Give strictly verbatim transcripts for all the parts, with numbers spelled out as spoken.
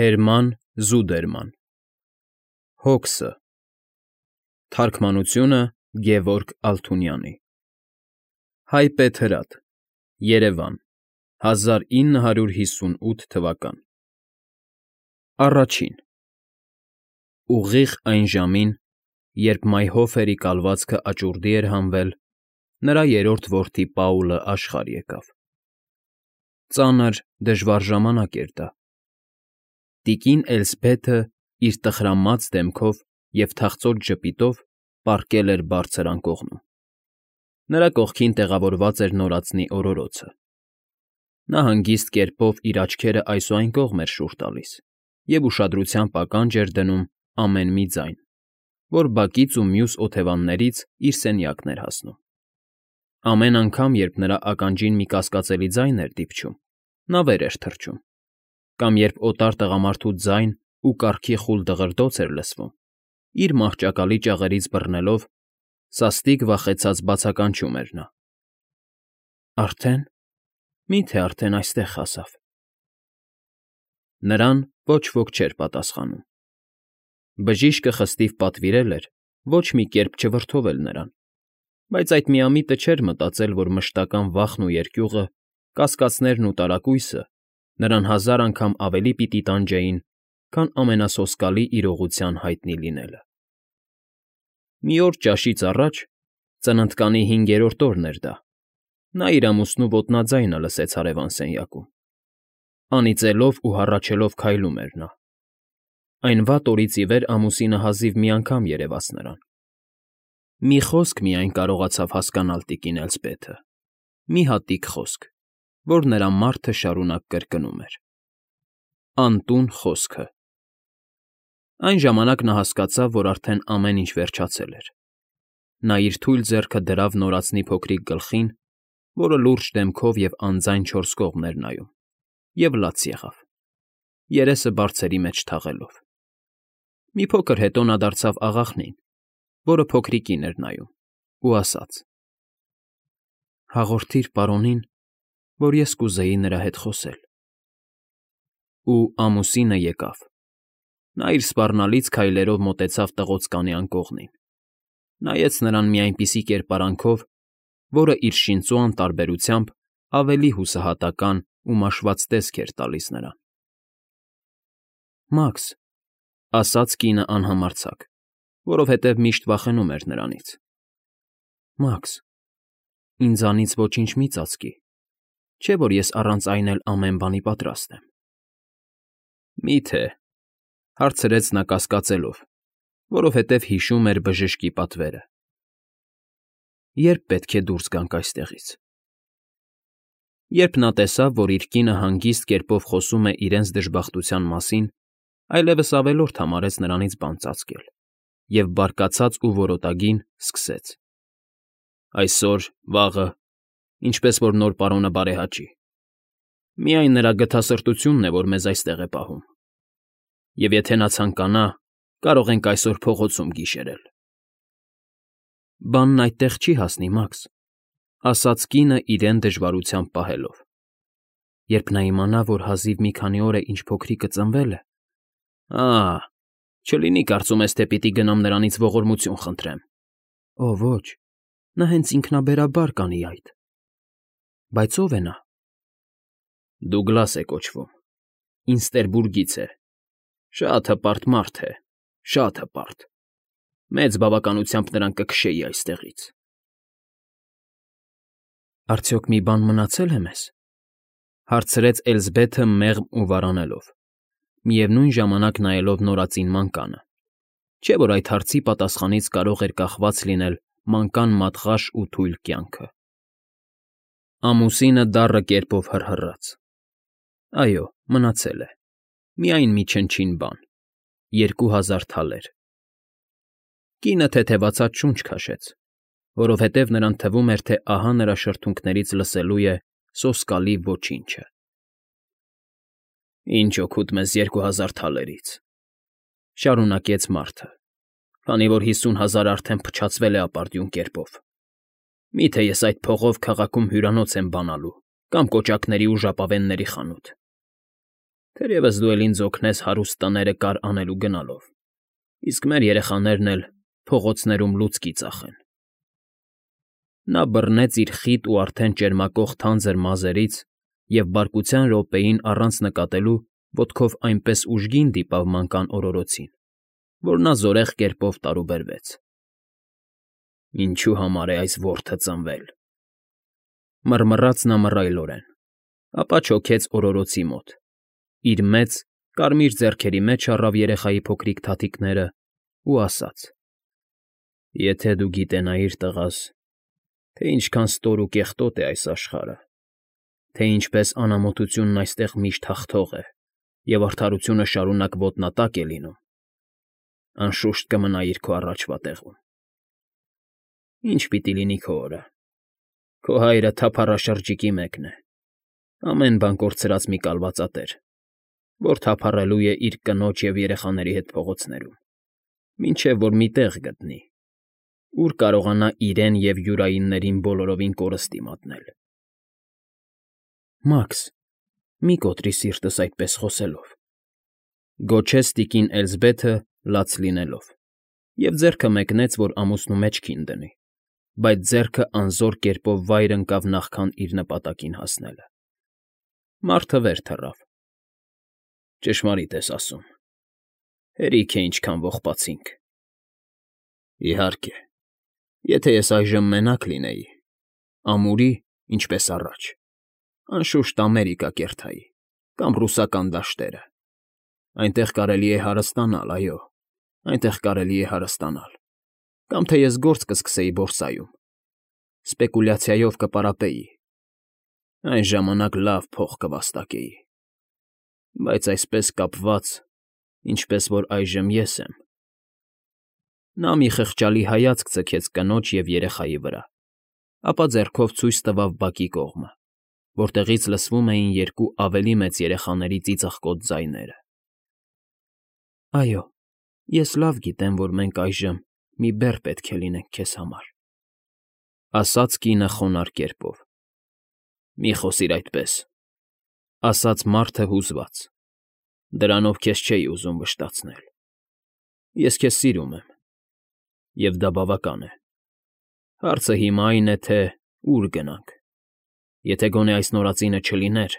Հերման Զուդերման Հոքսը Թարգմանությունը Գևորգ Ալթունյանի Հայպետ հրատ Երևան հազար ինը հարյուր հիսունութ թվական Առաջին Ուղիղ այն ժամին, երբ Մայհոֆերի կալվածքը աճուրդի էր հանվել, նրա երրորդ որդի Պաուլը աշխարհ եկավ։ Ծանր, դժվար ժամանակ էր դա։ Տիկին Էլսբեթը իր տխրամած դեմքով և թախծոտ ժպիտով պառկել էր բարձր անկողնում։ Նրա կողքին տեղավորված էր նորածնի օրորոցը։ Նա հանգիստ կերպով իր աչքերը այս ու այն կողմ էր շուռ տալիս և ուշադրությամբ ականջ էր դնում ամեն մի ձայն, որ բակից ու մյուս օթևաններից իր սենյակն էր հասնում։ Ամեն անգամ, երբ նրա ականջին մի կասկածելի ձայն էր դիպչում, նա վեր էր թռչում, կամ երբ օտար տղամարդու ձայն ու կառքի խուլ դղրդոց էր լսվում, իր մահճակալի ճաղերից բռնելով, սաստիկ վախեցած բացականչում էր նա. Արդեն, մի՞թե արդեն այստեղ հասավ։ Նրան ոչ ոք չէր պատասխանում։ Բժիշկը խստիվ պատվիրել էր ոչ մի կերպ չվրդովել նրան, բայց այդ միամիտը չէր մտածել, որ մշտական վախն ու երկյուղը, կասկածներն ու տարակույսը նրան հազար անգամ ավելի պիտի տանջեին, քան ամենասոսկալի իրողության հայտնի լինելը։ Մի օր ճաշից առաջ, ծննդկանի հինգերորդ օրն էր դա, նա իր ամուսնու ոտնաձայնը լսեց հարևան սենյակում։ Անիծելով ու հառաչելով քայլում էր նա։ Այն վատ օրից ի վեր ամուսինը հազիվ մի անգամ երևաց նրան։ Մի խոսք միայն կարողացավ հասկանալ տիկին Էլսբեթը, մի հատիկ խոսք, որ նրա մարդը շարունակ կրկնում էր. անտուն խոսքը։ Այն ժամանակ նա հասկացավ, որ արդեն ամեն ինչ վերջացել էր։ Նա իր թույլ ձեռքը դրավ նորածնի փոքրիկ գլխին, որը լուրջ դեմքով և անձայն չորս կողմ էր նայում, և լաց եղավ, երեսը բարձերի մեջ թաղելով։ Մի փոքր հետո նա դարձավ աղախնին, որը փոքրիկին էր նայում, ու ասաց. Հաղորդիր պարոնին, որ ես կուզեի նրա հետ խոսել։ Ու ամուսինը եկավ։ Նա իր սպառնալից քայլերով մոտեցավ տղոց կանի անկողնին, նայեց նրան մի այնպիսի կերպարանքով, որը իր շինծու անտարբերությամբ ավելի հուսահատական ու մաշված տեսք էր տալիս նրան։ Մաքս, ասաց կինը անհամարձակ, որովհետև միշտ վախենում էր նրանից։ Մաքս, ինձանից ոչինչ մի ծածկի, չէ՞ որ ես առանց այն էլ ամեն բանի պատրաստ եմ։ Մի՞թե,֊ հարցրեց նա կասկածելով, որովհետև հիշում էր բժշկի պատվերը։ Ե՞րբ պետք է դուրս գանք այստեղից։ Երբ նա տեսավ, որ իր կինը հանգիստ կերպով խոսում է իրենց դժբախտության մասին, այլևս ավելորդ համարեց նրանից բան ծածկել և բարկացած ու որոտագին սկսեց. Այսօր, վաղը, ինչպես որ նոր պարոնը բարեհաճի։ Միայն նրա գթասրտությունն է, որ մեզ այստեղ է պահում։ Եվ եթե նա ցանկանա, կարող ենք այսօր փողոցում գիշերել։ Բանն այդտեղ չի հասնի, Մաքս, ասաց կինը իրեն դժվարությամբ պահելով։ Երբ նա իմանա, որ հազիվ մի քանի օր է, ինչ փոքրիկը ծնվել է… Ա՜, չլինի կարծում ես, թե պիտի գնամ նրանից ողորմություն խնդրեմ։ Օ, ոչ, նա հենց ինքնաբերաբար կանի այդ։ Բայց ո՞վ է նա։ Դուգլաս է կոչվում, Ինստերբուրգից է, շատ հպարտ մարդ է, շատ հպարտ, մեծ բավականությամբ նրան կքշեի այստեղից։ Արդյոք մի բան մնացել է մեզ, հարցրեց Էլսբեթը մեղմ ու վարանելով, միևնույն ժամանակ նայելով նորածին մանկանը, չէ՞ որ այդ հարցի պատասխանից կարող էր կախված լինել մանկան մատղաշ ու թույլ կյանքը։ Ամուսինը դառը կերպով հռհռաց. Այո, մնացել է, միայն մի չնչին բան, երկու հազար թալեր։ Կինը թեթևացած շունչ քաշեց, որովհետև նրան թվում էր, թե ահա նրա շրթունքներից լսելու է սոսկալի ոչինչը։ Ինչ օգուտ մեզ երկու հազար թալերից,֊ շարունակեց մարդը, քանի որ հիսուն հազար արդեն փչացվել է ապարդյուն կերպով։ Մի՞թե ես այդ փողով քաղաքում հյուրանոց եմ բանալու կամ կոճակների ու ժապավենների խանութ։ Թերևս դու էլ ինձ օգնես հարուստ տները կար անելու գնալով, իսկ մեր երեխաներն էլ փողոցներում լուցկի ծախեն։ Նա բռնեց իր խիտ ու արդեն ճերմակող թանձր մազերից և բարկության րոպեին առանց նկատելու ոտքով այնպես ուժգին դիպավ մանկան օրորոցին, որ նա զորեղ կերպով տարուբերվեց։ Ինչու համար է այս որթը ծնվել, մռմռաց նա մռայլորեն, ապա չոքեց օրորոցի մոտ, իր մեծ, կարմիր ձեռքերի մեջ առավ երեխայի փոքրիկ թաթիկներն ու ասաց. «Եթե դու գիտենայիր, տղաս, թե ինչքան ստոր ու կեղտոտ է այս աշխարհը, թե ինչպես անամոթությունն այստեղ միշտ հաղթող է և արդարությունը շարունակ ոտնատակ է լինում, անշուշտ կմնայիր քո առաջվա տեղում։ Ի՞նչ պիտի լինի քո օրը։ Քո հայրը թափառաշրջիկի մեկն է, ամեն բան կորցրած մի կալվածատեր, որ թափառելու է իր կնոջ և երեխաների հետ փողոցներում, մինչև որ մի տեղ գտնի, ուր կարողանա իրեն և յուրայիններին բոլորովին կորստի մատնել»։ Մաքս, մի կոտրիր սիրտս այդպես խոսելով, գոչեց տիկին Էլզբեթը լաց լինելով և ձեռքը մեկնեց, որ ամուսնու մեջքին դնի, բայց ձեռքը անզոր կերպով վայր ընկավ նախքան իր նպատակին հասնելը։ Մարդը վեր թռավ։ «Ճշմարիտ ես ասում, հերիք է ինչքան ողբացինք։ Իհարկե, եթե ես այժմ մենակ լինեի, ամուրի, ինչպես առաջ, անշուշտ Ամերիկա կերտայի կամ ռուսական դաշտերը, այնտեղ կարելի է հարստանալ, այո, այնտեղ կարելի է հարստանալ, կամ թե ես գործ կսկսեի բորսայում, սպեկուլյացիայով կպարապեի, այն ժամանակ լավ փող կվաստակեի, բայց այսպես կապված, ինչպես որ այժմ ես եմ…»։ Նա մի խղճալի հայացք ձգեց կնոջ և երեխայի վրա, ապա ձեռքով ցույց տվավ բակի կողմը, որտեղից լսվում էին երկու ավելի մեծ երեխաների ծիծաղկոտ ձայները։ «Այո, ես լավ գիտեմ, որ մենք այժմ մի բեռ պետք է լինենք քեզ համար,֊ ասաց կինը խոնարհ կերպով։ «Մի խոսիր այդպես,֊ ասաց մարդը հուզված,֊ դրանով քեզ չէի ուզում վշտացնել։ Ես քեզ սիրում եմ, և դա բավական է։ Հարցը հիմա այն է, թե ուր գնանք։ Եթե գոնե այս նորածինը չլիներ,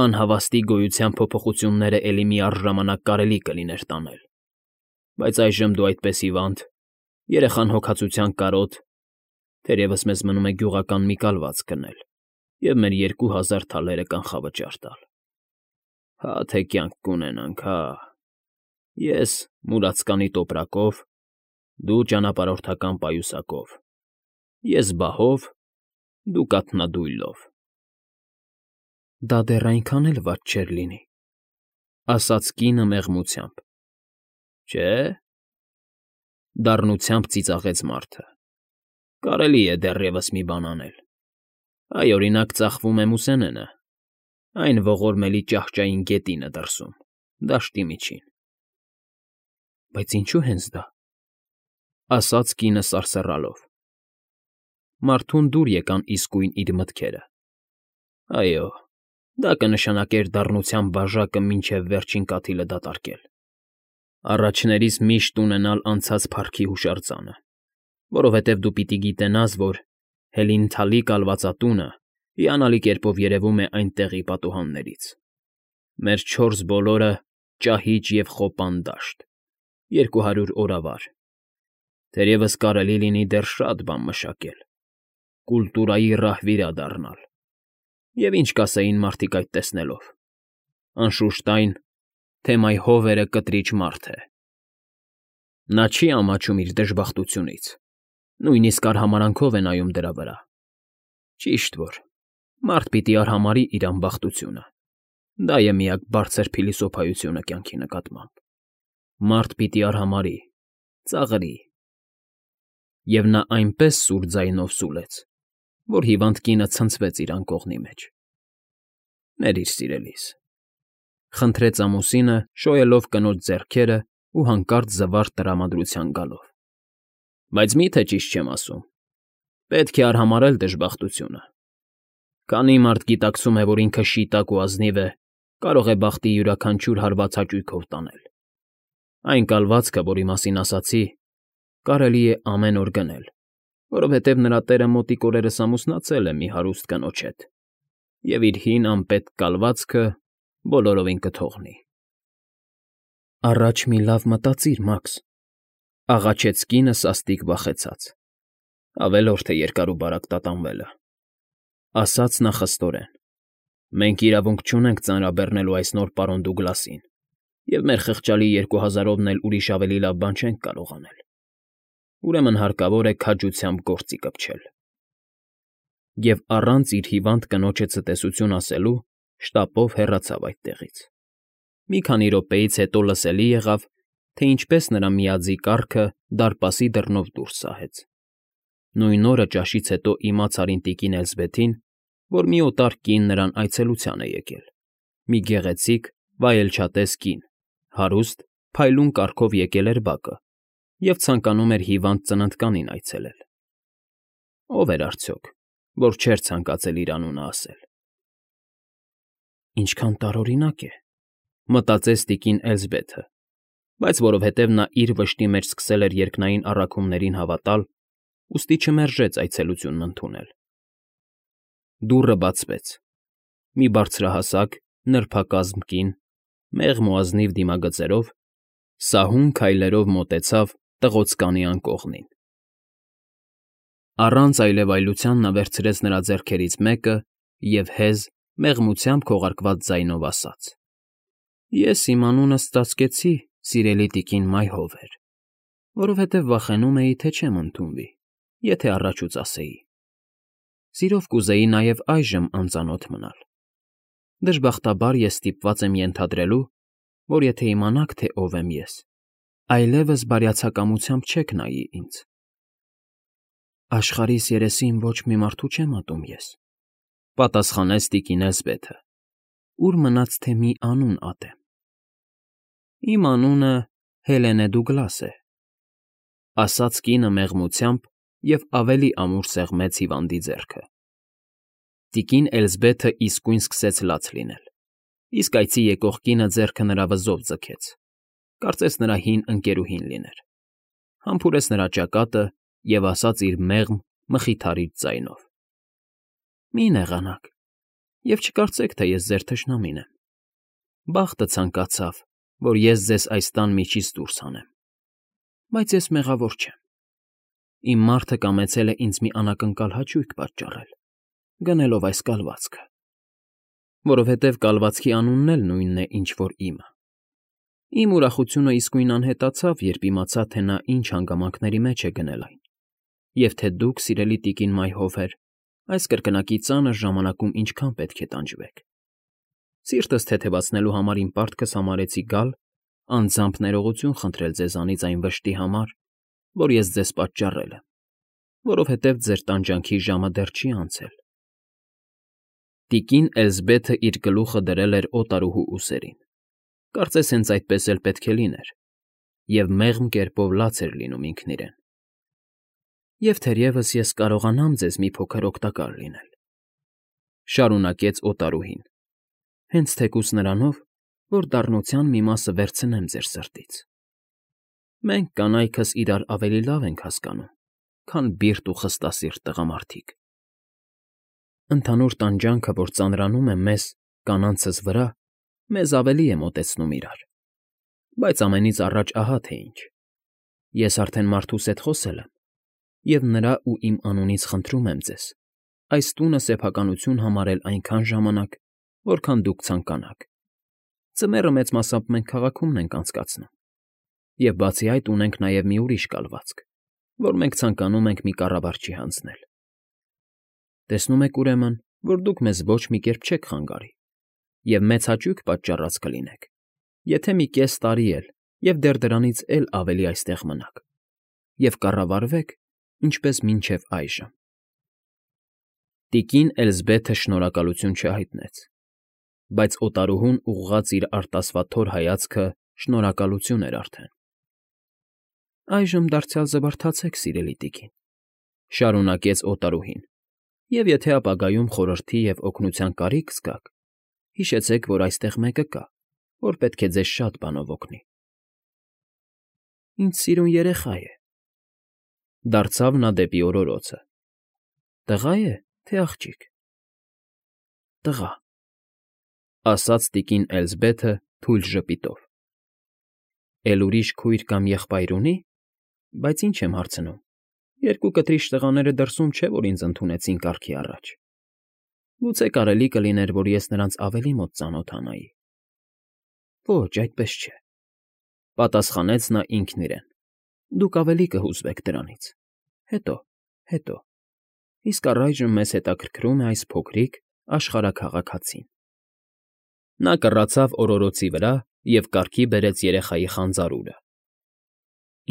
անհավաստի գոյության փոփոխությունները էլի մի առժամանակ կարելի կլիներ տանել, բայց այժմ դու այդպես հիվանդ, երեխան հոգածության կարոտ, թերևս մեզ մնում է գյուղական մի կալված գնել և մեր երկու հազար թալերը կանխավճար տալ։ Հա թե կյանք կունենանք, հա… Ես մուրացկանի տոպրակով, դու ճանապարհորդական պայուսակով, ես բահով, դու կաթնադույլով»։ «Դա դեռ այնքան էլ վատ չէր լինի,֊ ասաց կինը մեղմությամբ։ «Չէ՞,֊ դառնությամբ ծիծաղեց մարդը։֊ Կարելի է դեռևս մի բան անել։ Այ, օրինակ, ծախվում է մուսենենը, այն ողորմելի ճահճային գետինը դրսում, դաշտի միջին»։ «Բայց ինչո՞ւ հենց դա,֊ ասաց կինը սարսռալով։ Մարդուն դուր եկան իսկույն իր մտքերը։ Այո, դա կնշանակեր դառնության բաժակը մինչև վերջին կաթիլը դատարկել, առաջներիս միշտ ունենալ անցած փառքի հուշարձանը, որովհետև դու պիտի գիտենաս, որ Հելինթալի կալվածատունը հիանալի կերպով երևում է այն տեղի պատուհաններից։ Մեր չորս բոլորը ճահիճ և խոպան դաշտ, երկու հարյուր օրավար, թերևս կարելի լինի դեռ շատ բան մշակել, կուլտուրայի ռահվիրա դառնալ։ Եվ ինչ կասեին մարդիկ այդ տեսնելով։ Անշուշտ այն, թե մայհովերը կտրիջ մարդ է։ Նա չի ամաչում իր դժբախտությունից, նույնիսկ արհամարհանքով է նայում դրա վրա։ Ճիշտ որ, մարդ պիտի արհամարհի իր անբախտությունը, դա է միակ բարձր փիլիսոփայությունը կյանքի նկատմամբ։ Մարդ պիտի արհամարհի, ծաղրի… Եվ նա այնպես սուր ձայնով սուլեց, որ հիվանդ կինը ցնցվեց իր անկողնի մեջ։ «Ներիր, սիրելիս,֊ խնդրեց ամուսինը, շոյելով կնոջ ձեռքերն ու հանկարծ զվարթ տրամադրության գալով։֊ Բայց մի՞թե ճիշտ չեմ ասում։ Պետք է արհամարհել դժբախտությունը։ Քանի մարդ գիտակցում է, որ ինքը շիտակ ու ազնիվ է, կարող է բախտի յուրաքանչյուր հարված հաճույքով տանել։ Այն կալվածքը, որի մասին ասացի, կարելի է ամեն օր գնել, որովհետև նրա տերը մոտիկ օրերս ամուսնացել է մի հարուստ կնոջ հետ և իր հին անպետք կալվածքը բոլորովին կթողնի։ Առաջ մի լավ մտածիր, Մաքս,֊ աղաչեց կինը սաստիկ վախեցած, ավելորդ է երկար ու բարակ տատանվելը,֊ ասաց նա խստորեն։ Մենք իրավունք չունենք ծանրաբեռնելու այս նոր պարոն Դուգլասին, և մեր խղճալի երկու հազարովն էլ ուրիշ ավելի լավ բան չենք կարող անել։ Ուրեմն հարկավոր է քաջությամբ գործի կպչել։ Եվ առանց իր հիվանդ կնոջը ցտեսություն ասելու շտապով հեռացավ այդտեղից։ Մի քանի րոպեից հետո լսելի եղավ, թե ինչպես նրա միաձի կառքը դարպասի դռնով դուրս սահեց։ Նույն օրը ճաշից հետո իմաց Արին տիկին Էլզբեթին, որ մի օտար կին նրան այցելության է եկել, մի գեղեցիկ, վայելչատես կին, հարուստ, փայլուն կառքով եկել էր բակը և ցանկանում էր հիվանդ ծննդկանին այցելել։ Ո՞վ էր արդյոք, որ չէր ցանկացել իր անունը ասել։ «Ինչքան տարօրինակ է,֊ մտածեց տիկին Էլզբեթը, բայց որովհետև նա իր վշտի մեջ սկսել էր երկնային առաքումներին հավատալ, ուստի չմերժեց այցելությունն ընդունել։ Դուռը բացվեց։ Մի բարձրահասակ, նրբակազմ կին, մեղմ ու ազնիվ դիմագծերով, սահուն քայլերով մոտեցավ տղոծկանի անկողնին։ Առանց այլևայլության նա վերցրեց նրա ձեռքերից մեկը և հեզ, մեղմությամբ քողարկված ձայնով ասաց. «Ես իմ անունս ծածկեցի, սիրելի տիկին Մայհովեր, որովհետև վախենում էի, թե չեմ ընդունվի, եթե առաջուց ասեի։ Սիրով կուզեի նաև այժմ անծանոթ մնալ։ Դժբախտաբար ես ստիպված եմ ենթադրելու, որ եթե իմանաք, թե ով եմ ես, այլևս բարյացակամությամբ չեք նայի ինձ։ Աշխարհիս երեսին ոչ մի մարդու չեմ ատում ես,֊ պատասխանեց տիկին Էլզբեթը,֊ ուր մնաց, թե մի անուն ատեմ։ Իմ անունը Հելենե Դուգլաս է,֊ ասաց կինը մեղմությամբ և ավելի ամուր սեղմեց հիվանդի ձեռքը։ Տիկին Էլզբեթը իսկույն սկսեց լաց լինել, իսկ այցի եկող կինը ձեռքը նրա վզով ձգեց, կարծես նրա հին ընկերուհին լիներ, համբուրեց նրա ճակատը և ասաց իր մեղմ, մխիթարիչ ձայնով. «Մի նեղանաք և չկարծեք, թե ես ձեր թշնամին եմ։ Բախտը ցանկացավ, որ ես ձեզ այս տան միջից դուրս հանեմ, բայց ես մեղավոր չեմ։ Իմ մարդը կամեցել է ինձ մի անակնկալ հաճույք պատճառել, գնելով այս կալվածքը, որովհետև կալվածքի անունն էլ նույնն է, ինչ որ իմը։ Իմ ուրախությունը իսկույն անհետացավ, երբ իմացա, թե նա ինչ հանգամանքների մեջ է գնել այն, և թե դուք, սիրելի տիկին Մայհովեր, այս կրկնակի ծանր ժամանակում ինչքան պետք է տանջվեք։ Սիրտս թեթևացնելու համար իմ պարտքս համարեցի գալ, անձամբ ներողություն խնդրել ձեզանից այն վշտի համար, որ ես ձեզ պատճառել եմ, որովհետև ձեր տանջանքի ժամը դեռ չի անցել։ Տիկին Էլզբեթը իր գլուխը դրել էր օտարուհու ուսերին, կարծես հենց այդպես էլ պետք է լիներ, և մեղմ կերպով լաց էր լինում ինքն իրեն։ Եվ թերևս ես կարողանամ ձեզ մի փոքր օգտակար լինել,֊ շարունակեց օտարուհին,֊ հենց թեկուզ նրանով, որ դառնության մի մասը վերցնեմ ձեր սրտից։ Մենք կանայքս իրար ավելի լավ ենք հասկանում, քան բիրտ ու խստասիրտ տղամարդիկ։ Ընդհանուր տանջանքը, որ ծանրանում է մեզ՝ կանանցս վրա, մեզ ավելի է մոտեցնում իրար։ Բայց ամենից առաջ ահա թե ինչ. ես արդեն մարդուս հետ խոսել եմ, և նրա ու իմ անունից խնդրում եմ ձեզ այս տունը սեփականություն համարել այնքան ժամանակ, որքան դուք ցանկանաք։ Ձմեռը մեծ մասամբ մենք քաղաքումն ենք անցկացնում, և բացի այդ ունենք նաև մի ուրիշ կալվածք, որ մենք ցանկանում ենք մի կառավարչի հանձնել։ Տեսնում եք, ուրեմն, որ դուք մեզ ոչ մի կերպ չեք խանգարի և մեծ հաճույք պատճառած կլինեք, եթե մի կես տարի էլ և դեռ դրանից էլ ավելի այստեղ մնաք և կառավարվեք, ինչպես մինչև այժմ։ Տիկին Էլզբեթը շնորհակալություն չհայտնեց, բայց օտարուհուն ուղղած իր արտասվաթոր հայացքը շնորհակալություն էր արդեն։ Այժմ դարձյալ զվարթացեք, սիրելի տիկին,֊ շարունակեց օտարուհին,֊ և եթե ապագայում խորհրդի և օգնության կարիք զգաք, Հիշեցեք, որ այստեղ մեկը կա, որ պետք է ձեզ շատ բանով օգնի։ Ինձ սիրուն երեխա է,֊ դարձավ նա դեպի օրորոցը։ Տղա է, թե աղջիկ։ Տղա,֊ ասաց տիկին Էլզբեթը թույլ ժպիտով։ Էլ ուրիշ քույր կամ եղբայր ունի՞, բայց ինչ եմ հարցնում, երկու կտրիչ տղաները դրսում չէ, որ ինձ ընդունեցին կարգի առաջ։ Գուցե կարելի կլիներ, որ ես նրանց ավելի մոտ ծանոթանայի։ Ոչ, այդպես չէ,֊ պատասխանեց նա ինքն իրեն։ Դուք ավելի կհուզվեք դրանից։ Հետո, հետո… Իսկ առայժմ մեզ հետաքրքրում է այս փոքրիկ աշխարհաքաղաք հացին։ Նա կռացավ օրորոցի վրա և կարգի բերեց երեխայի խանձարուրը։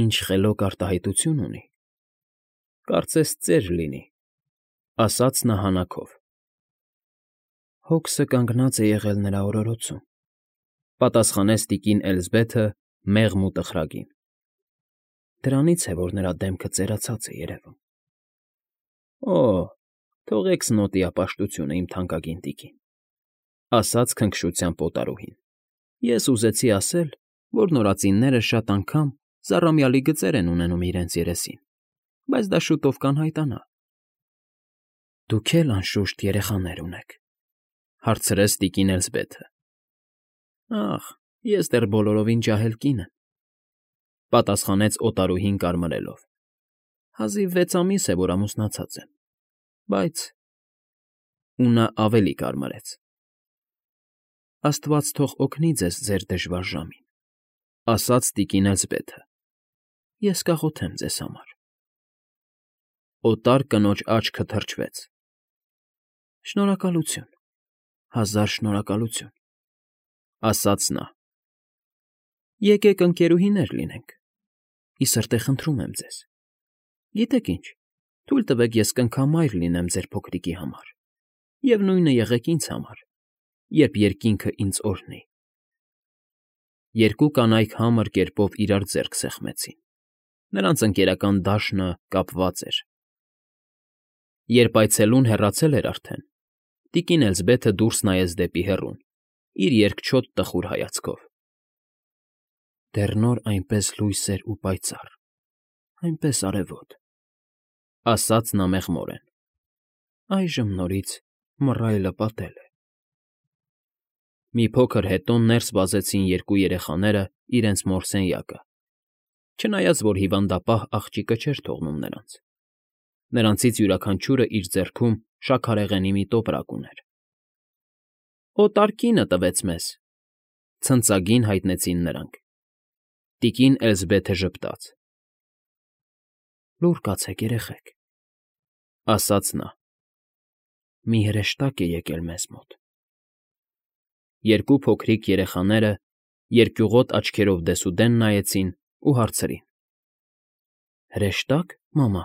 Ինչ խելոք արտահայտություն ունի։ Կարծես ծեր լինի,֊ ասաց նա հանաքով։ Հոգսը կանգնած է եղել նրա օրորոցում,֊ պատասխանեց տիկին Էլզբեթը մեղմ ու տխրագին։ Դրանից է, որ նրա դեմքը ծերացած է երևում։ Օ՜, թողեք սնոտիապաշտությունը, իմ թանկագին տիկին,֊ ասաց քնքշությամբ օտարուհին։ Ես ուզեցի ասել, որ նորածինները շատ անգամ զառամյալի գծեր են ունենում իրենց երեսին, բայց դա շուտով կանհայտանա։ Դուք էլ, անշուշտ, երեխաներ ունեք,֊ հարցրեց տիկին Էլզբեթը։ Ախ, ես դեռ բոլորովին ջահել կին եմ,֊ պատասխանեց օտարուհին կարմրելով։ Հազիվ վեց ամիս է, որ ամուսնացած եմ, բայց… Ու նա ավելի կարմրեց։ Աստված թող օգնի ձեզ ձեր դժվար ժամին,֊ ասաց տիկին Էլզբեթը։ Ես կաղոթեմ ձեզ համար։ Օտար կնոջ աչքը թրջվեց։ Շնորհակալություն, հազար շնորհակալություն,֊ ասաց նա։ Եկեք ընկերուհիներ լինենք։ Ի սրտե խնդրում եմ ձեզ։ Գիտեք ինչ, թույլ տվեք ես կնքամայր լինեմ ձեր փոքրիկի համար, և նույնը եղեք ինձ համար, երբ երկինքը ինձ օրհնի։ Երկու կանայք համր կերպով իրար ձեռք սեղմեցին։ Նրանց ընկերական դաշնը կապված էր։ Երբ այցելուն հեռացել էր արդեն, տիկին Էլզբեթը դուրս նայեց դեպի հեռուն, իր երկչոտ տխուր հայացքով։ Դեռ նոր այնպես լույս էր ու պայծառ, այնպես արևոտ,֊ ասաց նա մեղմորեն։ Այժմ նորից մռայլը պատել է։ Մի փոքր հետո ներս վազեցին երկու երեխաները իրենց մոր սենյակը, չնայած որ հիվանդապահ աղջիկը չէր թողնում նրանց։ Նրանցից յուրաքանչյուրը իր ձեռքում շաքարեղենի մի տոպրակ ուներ։ Օտար կինը տվեց մեզ,֊ ցնծագին հայտնեցին նրանք։ Տիկին Էլզբեթը ժպտաց։ Լուր կացեք, երեխեք,֊ ասաց նա։ Մի հրեշտակ է եկել մեզ մոտ։ Երկու փոքրիկ երեխաները երկյուղոտ աչքերով դեսուդեն նայեցին ու հարցրին. Հրեշտա՞կ, մամա։